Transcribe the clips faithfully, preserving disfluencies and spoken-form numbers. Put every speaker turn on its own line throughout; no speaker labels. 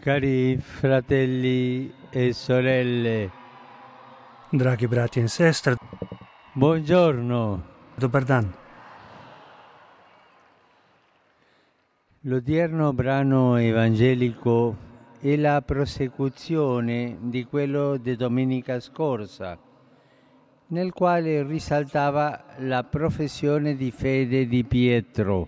Cari fratelli e sorelle,
Dragi bratje in sestre,
buongiorno.
dober dan.
L'odierno brano evangelico è la prosecuzione di quello di domenica scorsa, nel quale risaltava la professione di fede di Pietro,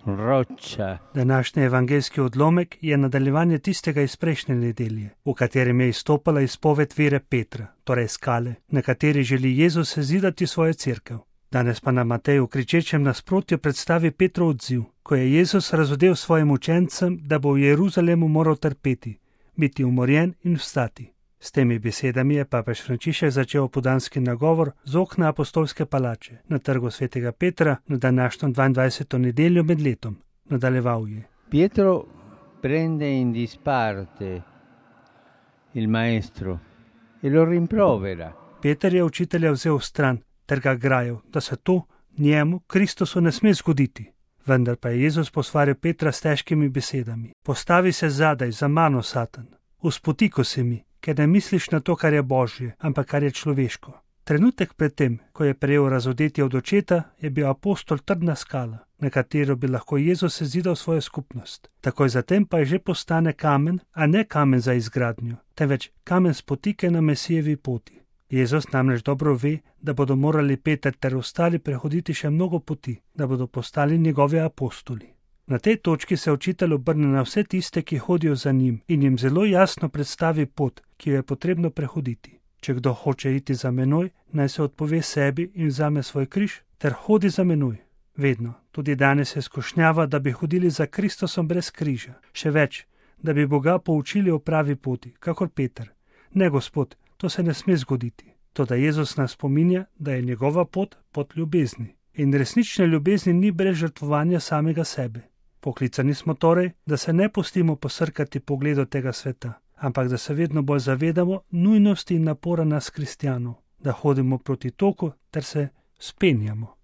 roccia.
Današnji evangelski odlomek je nadaljevanje tistega iz prejšnje nedelje, v katerem je izstopala izpoved vere Petra, torej skale, na kateri želi Jezus zidati svojo cerkev. Danes pa nam Matej v kričečem nasprotju predstavi Petrov odziv, ko je Jezus razodel svojim učencem, da bo v Jeruzalemu moral trpeti, biti umorjen in vstati. S temi besedami je papež Frančišek začel opoldanski nagovor z okna apostolske palače na trgu svetega Petra na današnjo dvaindvajseto nedeljo med letom. Nadaljeval je.
Pietro prende in disparte il maestro e lo rimprovera.
Peter je učitelja vzel v stran ter ga grajal, da se to njemu, Kristusu, ne sme zgoditi. Vendar pa je Jezus posvaril Petra s težkimi besedami. Postavi se zadaj, za mano, Satan. Uspotiko se mi, ker ne misliš na to, kar je božje, ampak kar je človeško. Trenutek pred tem, ko je prejel razodetje od očeta, je bil apostol trdna skala, na katero bi lahko Jezus zidal svojo skupnost. Takoj zatem pa je že postane kamen, a ne kamen za izgradnjo, temveč kamen spotike na Mesijevi poti. Jezus namreč dobro ve, da bodo morali Peter ter ostali prehoditi še mnogo poti, da bodo postali njegovi apostoli. Na tej točki se učitelj obrne na vse tiste, ki hodijo za njim, in jim zelo jasno predstavi pot, ki jo je potrebno prehoditi. Če kdo hoče iti za menoj, naj se odpove sebi in vzame svoj križ, ter hodi za menoj. Vedno, tudi danes je skušnjava, da bi hodili za Kristusom brez križa. Še več, da bi Boga poučili o pravi poti, kakor Peter. Ne, Gospod, to se ne sme zgoditi. Toda Jezus nas spominja, da je njegova pot pot ljubezni. In resnične ljubezni ni brez žrtvovanja samega sebe. Poklicani smo torej, da se ne pustimo posrkati pogledu tega sveta, ampak da se vedno bolj zavedamo nujnosti in napora nas kristjanov, da hodimo proti toku ter se spenjamo.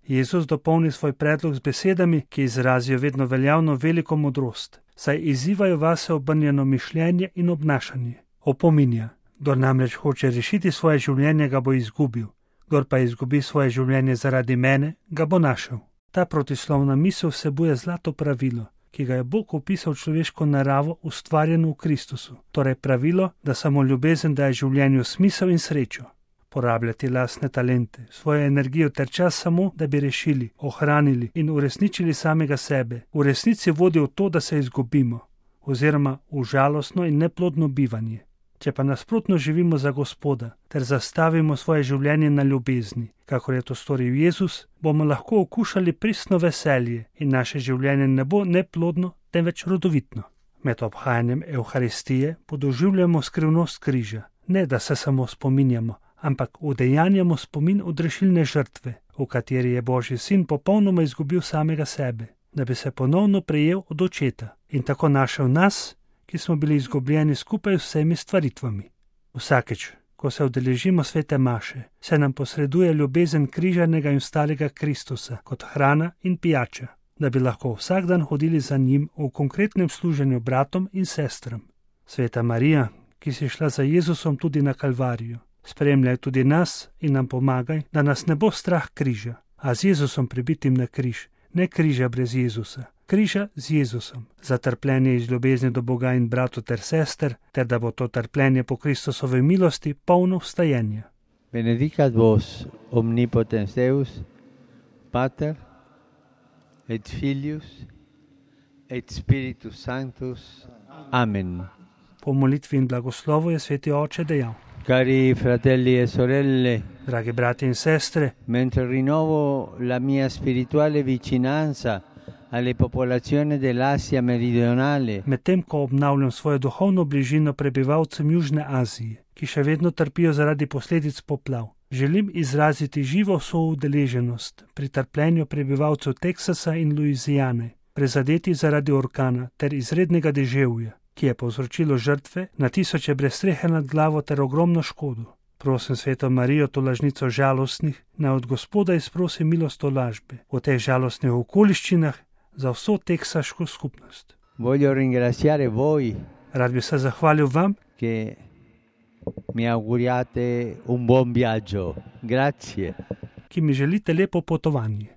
Jezus dopolni svoj predlog z besedami, ki izrazijo vedno veljavno veliko modrost, saj izzivajo vase obrnjeno mišljenje in obnašanje. Opominja, kdor namreč hoče rešiti svoje življenje, ga bo izgubil, kdor pa izgubi svoje življenje zaradi mene, ga bo našel. Ta protislovna misel vsebuje zlato pravilo, ki ga je Bog opisal človeško naravo ustvarjeno v Kristusu, torej pravilo, da samo ljubezen daje življenju smisel in srečo. Porabljati lastne talente, svojo energijo ter čas samo, da bi rešili, ohranili in uresničili samega sebe, v resnici vodi v to, da se izgubimo, oziroma v žalostno in neplodno bivanje. Če pa nasprotno živimo za Gospoda ter zastavimo svoje življenje na ljubezni, kakor je to storil Jezus, bomo lahko okušali pristno veselje in naše življenje ne bo neplodno, temveč rodovitno. Med obhajanjem Evharistije podoživljamo skrivnost križa, ne da se samo spominjamo, ampak udejanjamo spomin odrešilne žrtve, v kateri je Božji sin popolnoma izgubil samega sebe, da bi se ponovno prejel od očeta in tako našel nas, ki smo bili izgubljeni skupaj z vsemi stvaritvami. Vsakeč, ko se udeležimo svete maše, se nam posreduje ljubezen križanega in vstalega Kristusa kot hrana in pijača, da bi lahko vsak dan hodili za njim v konkretnem služenju bratom in sestram. Sveta Marija, ki si šla za Jezusom tudi na Kalvarijo, spremljaj tudi nas in nam pomagaj, da nas ne bo strah križa, a z Jezusom pribitim na križ, ne križa brez Jezusa. Križa z Jezusom, za trpljenje iz ljubezni do Boga in bratov ter sester, ter da bo to trpljenje po Kristusovi milosti polno vstajenja.
Benedicat vos omnipotens Deus, Pater et Filius et Spiritus Sanctus. Amen.
Po molitvi in blagoslovu je sveti oče dejal.
Cari fratelli e sorelle,
dragi brati in sestre,
mentre rinnovo la mia spirituale vicinanza alle popolazioni dell'Asia meridionale,
medtem ko obnavljam svojo duhovno bližino prebivalcem Južne Azije, ki še vedno trpijo zaradi posledic poplav, želim izraziti živo soudeleženost pri trpljenju prebivalcev Teksasa in Luizijane, prizadeti zaradi orkana ter izrednega deževja, ki je povzročilo žrtve na tisoče brez strehe nad glavo ter ogromno škodo. Prosim sveto Marijo, tolažnico žalostnih, naj od Gospoda izprosi milost tolažbe v teh žalostnih okoliščinah za vso teksaško skupnost.
Voglio ringraziare voi.
Rad bi se zahvalil vam,
che mi auguriate un buon viaggio. Grazie.
ki mi želite lepo potovanje.